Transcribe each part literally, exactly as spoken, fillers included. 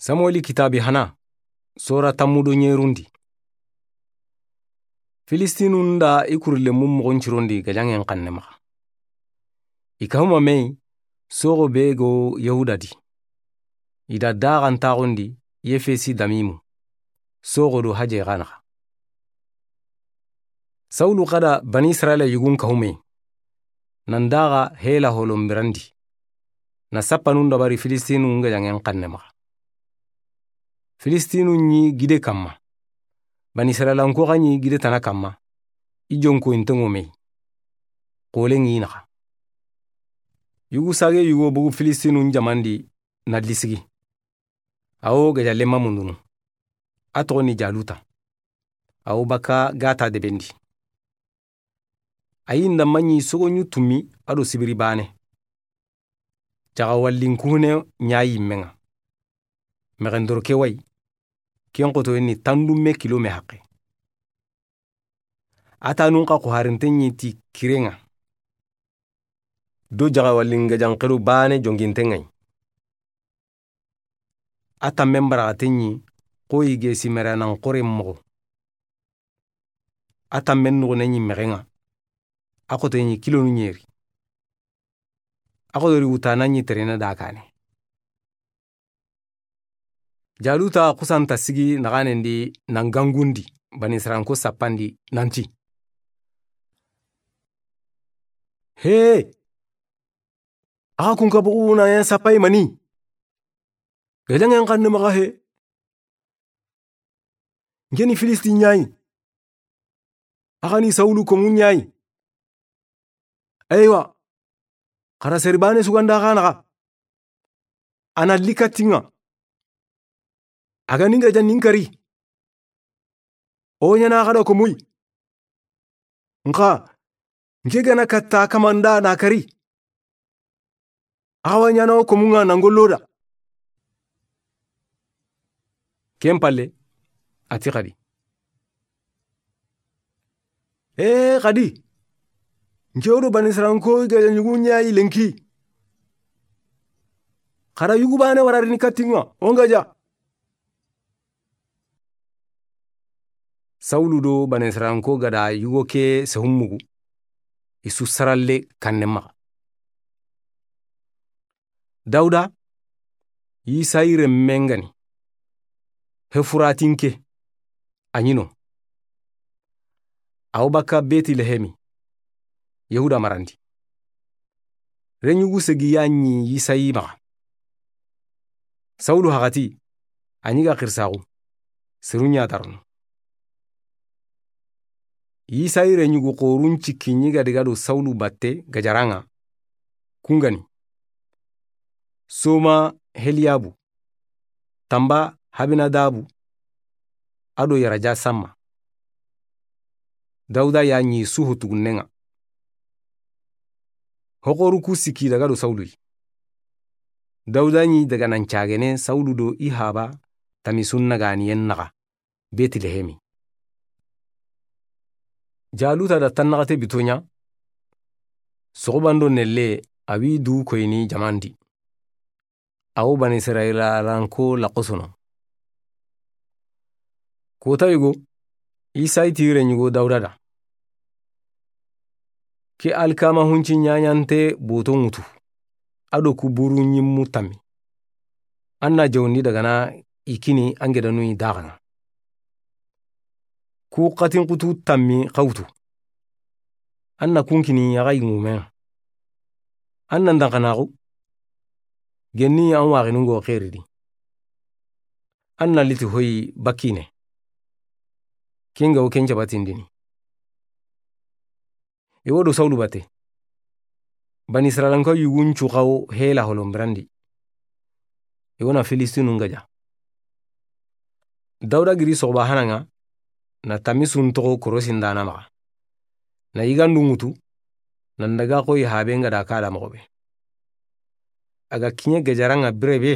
Samueli kitaabi hana, sora tammu do ɲerundi. Filistinun da i kurlenmu moxon cirondi gajaŋen xanne maxa. I kahuma mey, soxo be go Yahuda di. I da daxantaxundi Yefesi Damimu, soxo do haje xa naxa. Sawulu xa da Bani Israila yugun kahumey, nan daxa Hela holon birandi, na sappanun dabari Filistinun gajaŋen xanne maxa. Filistinun ɲi gide kamma, Bani Israilanko xa ɲi gide tana kamma, i jonko inteŋo mey, xolen ŋi naxa. Yugu sage yugo bogu Filistinun jamandi na lisigi. Awo gajalenma mundunu. A toxo ni Jaluta. Awo baka gata debendi. A yi nda maɲi sogoɲu tummi a do sibiri bane. Jaxawallin kuhune ɲa yimmeŋa. Mexendoro ke way, ken xotoyen ni tandumme kilo me haqe. A tanun xa xuharinte ɲi ti kireŋa. Do jaxawallin gajanxeru bane jonginte ŋay. A tammen baraxate ɲi xoyi ge simeranan xoren moxo. A tammen nuxune ɲi mexeŋa. A xote ɲi kilonu ɲeri. A xotori wutana ɲi terena da kane. Jaluta xusanta sigi naxanendi nan gangundi Bani Israilanko sappandi nanti: He! Axa kun ka bugu na ɲa sappayi mani? Gajaŋen xanne maxa he. Nke ni Filisti ɲayi. Axa ni Sawulu komu ɲayi. Eywa. Xara seri bane suganda xa naxa. A na li kattiŋa. A ga ni n gaja ni n kari. O ɲana xa da komuyi. Nxa nke ga na katta kamanda na kari. Axa wa ɲana o komuŋa na n golloda. Ken palle, a ti xadi: Ee xadi, nke wo do Bani Israilanko i gaja ɲugu ɲayi lenki. Xara yugu bane wararini kattiŋa o n gaja. Sawulu do Bani Israilanko ga da yugo ke sehun mugu, i su saralle kanne maxa. Dawuda, Yisayi renmen ga ni, Hefuratinke, a ɲi no. Awo baka Betilehemi, Yahuda marandi. Reɲugu segi ya ɲi Yisayi maxa. Sawulu haxati, a ɲi ga xirisaxu, seru ɲa darono. Yisayi reɲugu xorun cikki ɲi ga diga do Sawulu batte gajaraŋa. Kun ga ni: Soma Heliyabu, tamba Habinadabu, a do yaraja Samma. Dawuda ya ɲi su ho tugunneŋa. Hoxoru ku sikki daga do Sawulu yi. Dawuda ɲi daga nan cagene Sawulu do i haba tamisun naganiyen naxa Betilehemi. Jaluta da tannaxate bito ɲa. Soxubando nelle a wi du koyini jamandi. Awo Bani Israilanko laxosono. Kota yugo, Yisayi ti reɲugo Dawuda da: Ke alkama hunci ɲaɲante boto ŋutu, a do ku buru ɲimmu tammi. An na jawndi dagana i kini an gedanu i daxaŋa. Ku xatin xutu tammi xa wutu. An na kun kini axa i ŋumeŋa. An na n danxanaxu. Genni an waxinungo xeridi. An na liti hoyi bakine. Ken ga wo ken cabatindini. I wo do Sawulu batte. Bani Israilanko yugun cu xawo Hela holon birandi. I wo na Filistinun gaja. Dawuda giri soxuba hanaŋa, na tamisun toxo korosin dana maxa. Na yigandu ŋutu, nan daga xoyi haben ga da ka da moxo be. A ga kiɲe gajaraŋa bire be,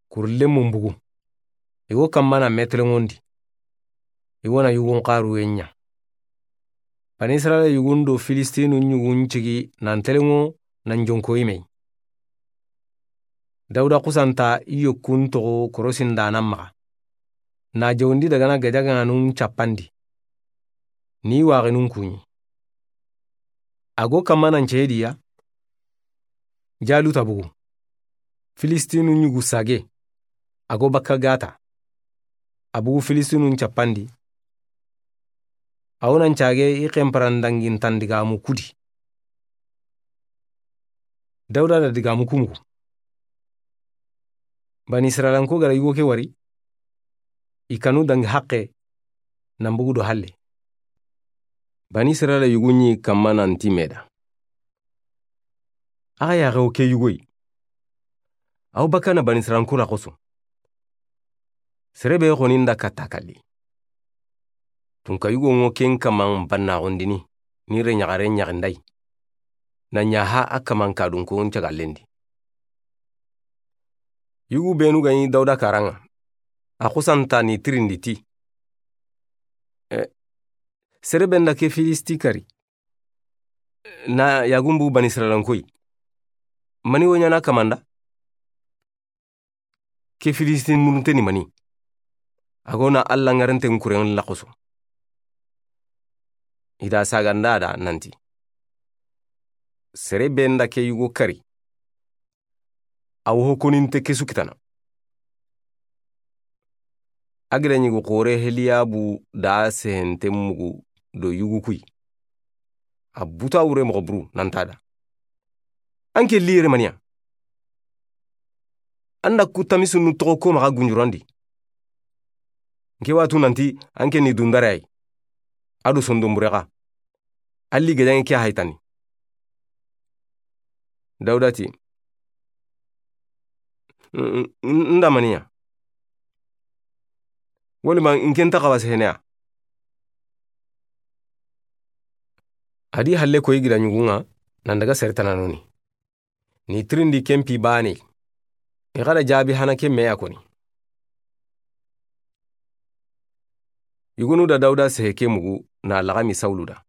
kurlenmun bugu. I wo kanma na meteleŋondi. I wo na yugun xaruwe ɲa. Bani Israila yugun do Filistinun yugun cigi nan teleŋo nan jonkoyi mey. Dawuda xusanta i yokkun toxo korosindaana maxa, na jawundi dagana gajaganun cappandi, ni waxinun kuɲi. A go kamma nan ceyediya, Jaluta bugu, Filistinun ɲugu sage, a go bakka gata, a bugu Filistinun cappandi. A wo nan cage i xenparandangintan digamu kudi. Dawuda da digamu kumugu. Bani Israilanko gara yugo ke wari, i kanu dangi haqqe, nan bugu do halle. Bani Israila yugu ɲi kamma nanti meda. Axa yaxe wo ke yugoyi. Aw bakana Bani Israilanko la xoso. Sere be xoni nda katta kalli. Tunka yugo ŋo ken kaman bannaxundini, ni re ɲaxare ɲaxindayi. Na ɲaxa a kaman kadunko n cagalendi. Yugu benu gani Dawuda karanŋa, a xusanta ni tirindi ti: E, sere be nda ke Filisti kari, na yagumbu Bani Israilankoyi, mani wo ɲana kamanda? Ke Filistin murunte ni mani? A go na Alla ŋarenten kuren la xoso. I da saganda da nanti: Sere be nda ke yugo kari, a wo ho koninte ke su kitana. A gida ɲigu xore Heliyabu da sehente mugu do yugu kuyi. A buta wure moxo buru nanta da: An ke li yere maniya? An da ku tamisunnu toxo ko maxa gunjurandi. Nke watu nanti an ke ni dundare ay. A do sondonbure xa. Alli gajaŋe ke haytani. Dawuda ti: N-, n-, n-, nda maniya? Woli ma nke nta xawa seheneya? A di halle koyi gida ɲugunŋa, nan daga sere tananoni. Ni tirindi kempi bane. I xada jabi hana ke meya koni. Yugonu da Dawuda sehe ke mugu na laxami Sawulu da.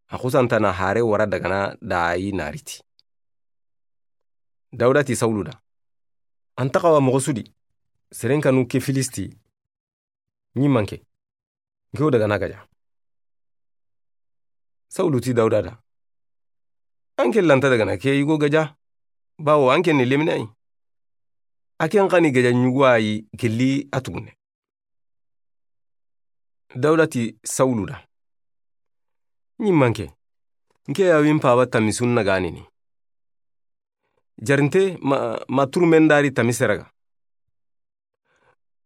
A xusanta na hare wara dagana da ayi nariti. Dawuda ti Sawulu da: An ta xawa moxo sudi, seren kanu ke Filisti, ɲi manke, nke wo dagana gaja. Sawulu ti Dawuda da: An ke lanta dagana ke yugo gaja, bawo an ke ni lemine ay. A ken xani gaja ɲugo ayi gelli a tugune. Dawuda ti Sawulu da: Ɲi manke, nke ya win paba tamisun na ganini. Jarinte ma, ma turmen dari tamise raga.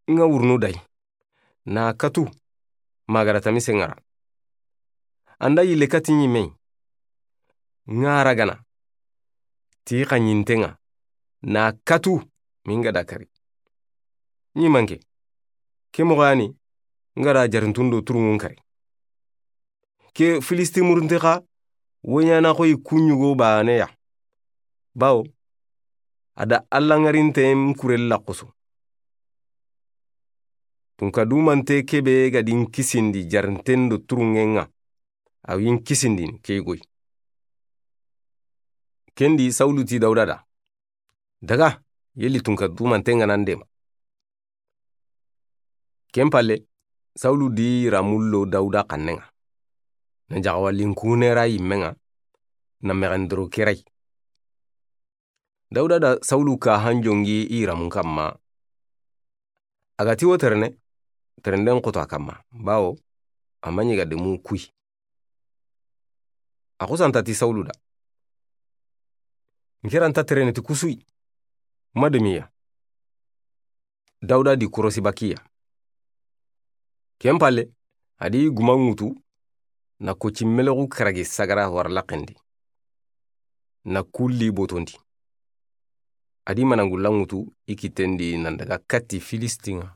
Nga wurnu day. Na katu, magara tamise ŋara. Anda yille kati ɲimme. Nga ragana. Ti xa ɲintenŋa. Na katu, minga da kari. Ɲi manke. Ke moxo yani, nga da jarintundo turungun kari. Ke Filisti murunte xa, wo ɲana xoyi kuɲugo bane ya. Bawo, a da Alla ŋarinten kurella xoso. Tunka dumante kebe ga din kisindi jarinten do turunŋen ŋa, a win kisindini ke goyi. Kendi Sawulu ti Dawuda da: Daga, yeli tunka dumanten ŋa nan dema. Ken palle, Sawulu di ramullo Dawuda xannen ŋa. Na jaxawalin kune ra yimmen ŋa, na mexen doro ke ray. Dawuda da Sawulu ka hanjongi i ramun kamma. A ga ti wo terene, terenden xoto a kamma, bawo a ma ɲi ga demu kuyi. A xusanta ti Sawulu da: Nke ranta terene ti kusuyi, ma demiya. Dawuda di korosi bakiya. Ken palle, a di guma ŋutu, na koci melexu karagi sagara wara laxendi. Na kulli botondi. A di manangulla ŋutu i kitendi nan daga katti Filistinŋa.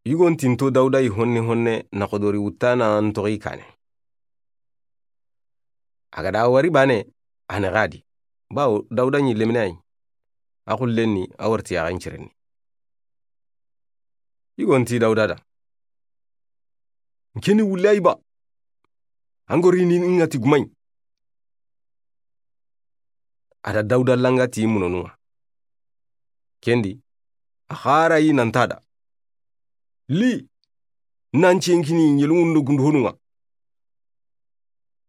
Yugon tinto Dawuda yi honne honne na xodori wuttana ntoxi kane. A ga da wari bane, a ne xadi. Bawo Dawuda ɲi lemine ay. A xullenni, a warti a xancirenni. Yugon ti Dawuda da: Nkeni wulle ay ba. Angori ni ŋa ti gumay. A da Dawuda langa ti munonun ŋa. Ken di, a xara yi nan ti a da: Li, nan cenkini yelungun do gundu honun ŋa.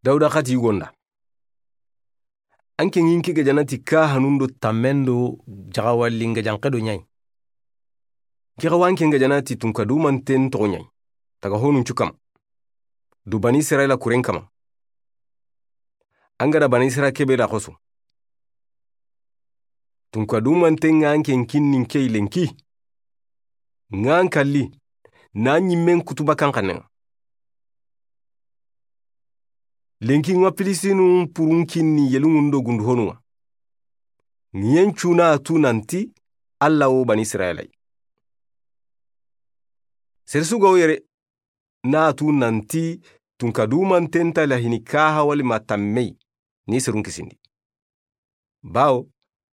Dawuda xa ti yugon da: An ke ŋi n ke gajana ti kahanun do tammen do jaxawalin gajanxe do ɲa yi. N ke xa wa an ke gajana ti tunka dumanten toxo ɲa yi, taga honun cu kama, do Bani Israila kuren kama. An ga da Bani Israila kebe da xoso. Tunka dumanten ŋa an ke n kinni n ke yi lenki. Ŋa an kalli, na ɲimmen kutu bakan xannen ŋa. Lenki ŋa Filistinun purun kinni yelungun do gundu honun ŋa. Ɲiyen cu na tu nan ti Alla wo Bani Israila yi. Sere su ga wo yere na tu nan ti tunka dumanten nta lahini kaha wali ma tamme yi ni serun kisindi. Bawo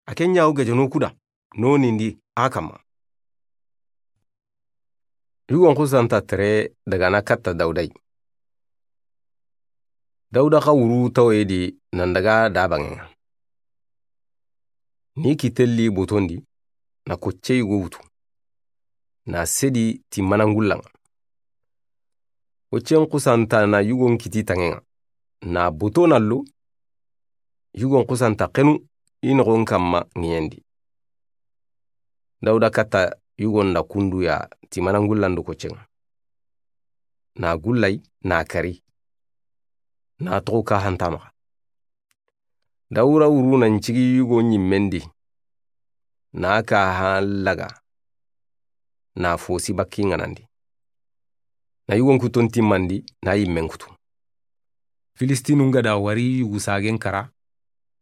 a ke ɲa wo gajano ku da nonindi a kama. Yugon xusanta tere daga na katta Dawuda yi. Dawuda xa wuru tawoye di nan daga da banŋen ŋa. Ni kitelli botondi na kocce yugo wutu. Na sedi ti manangullan ŋa. Koccen xusanta na yugon kiti tanŋen ŋa. Na boto na lo, yugon xusanta xenu i noxon kamma ŋiyen di. Dawuda katta yugon da kunduya ti manangullan do koccen ŋa. Na gullay, na kari. Na toxo kahanta maxa. Dawuda wuru nan cigi yugo ɲimmen di. Na kaha laga. Na fosi bakki ŋanandi. Na yugon kuton timmandi, na yimmen kutu. Filistinun ga da wari yugu sagen kara,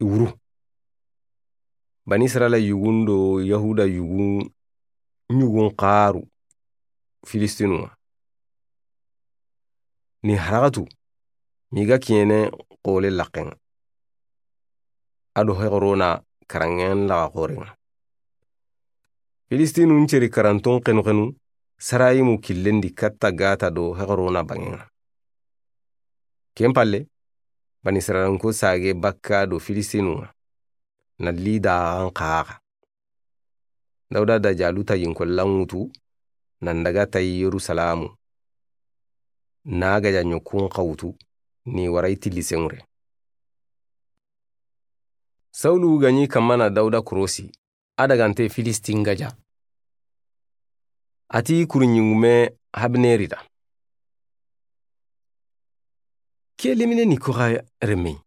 i wuru. Bani Israila yugun do Yahuda yugun ɲugun xaru Filistinun ŋa. Ni haraxatu, mi ga kiyene xole laxen ŋa. A do hexorona karanŋen laxa xoren ŋa. Filistinun ceri karanton xenu xenu, Sarayimu killen di katta Gata do hexorona banŋen ŋa. Ken palle, Bani Israilanko sage bakka do Filistinun ŋa. Na li daxan xaxa. Dawuda da Jaluta yinkollan wutu, nan daga tayi Yerusalamu. Na gaja ɲokun xa wutu, ni waray tilli senŋure. Sawulu ga ɲi kamma na Dawuda korosi, a dagante Filistin gaja. A ti kuru ɲingume Habneri da: Ke lemine ni koxa remme yi?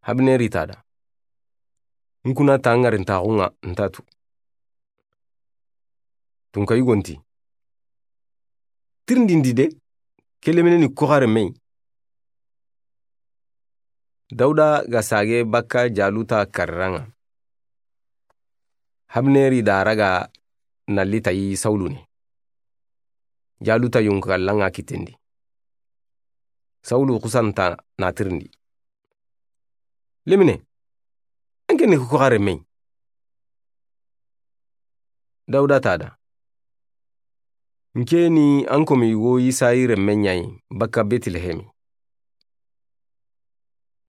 Habneri ta da: N kuna ta ŋarintaxun ŋa nta tu. Tunka yugon ti: Tirindindi de, ke lemine ni koxa remme yi. Dawuda ga sage bakka Jaluta kariran ŋa. Habneri da raga na li tayi Sawulu ni. Jaluta yonkallan ŋa kitten di. Sawulu xusanta na tirindi: Lemine, an ke ni koxa remme yi? Dawuda ta da: N ke ni an komi yugo Yisayi remme ɲa yi bakka Betilehemi.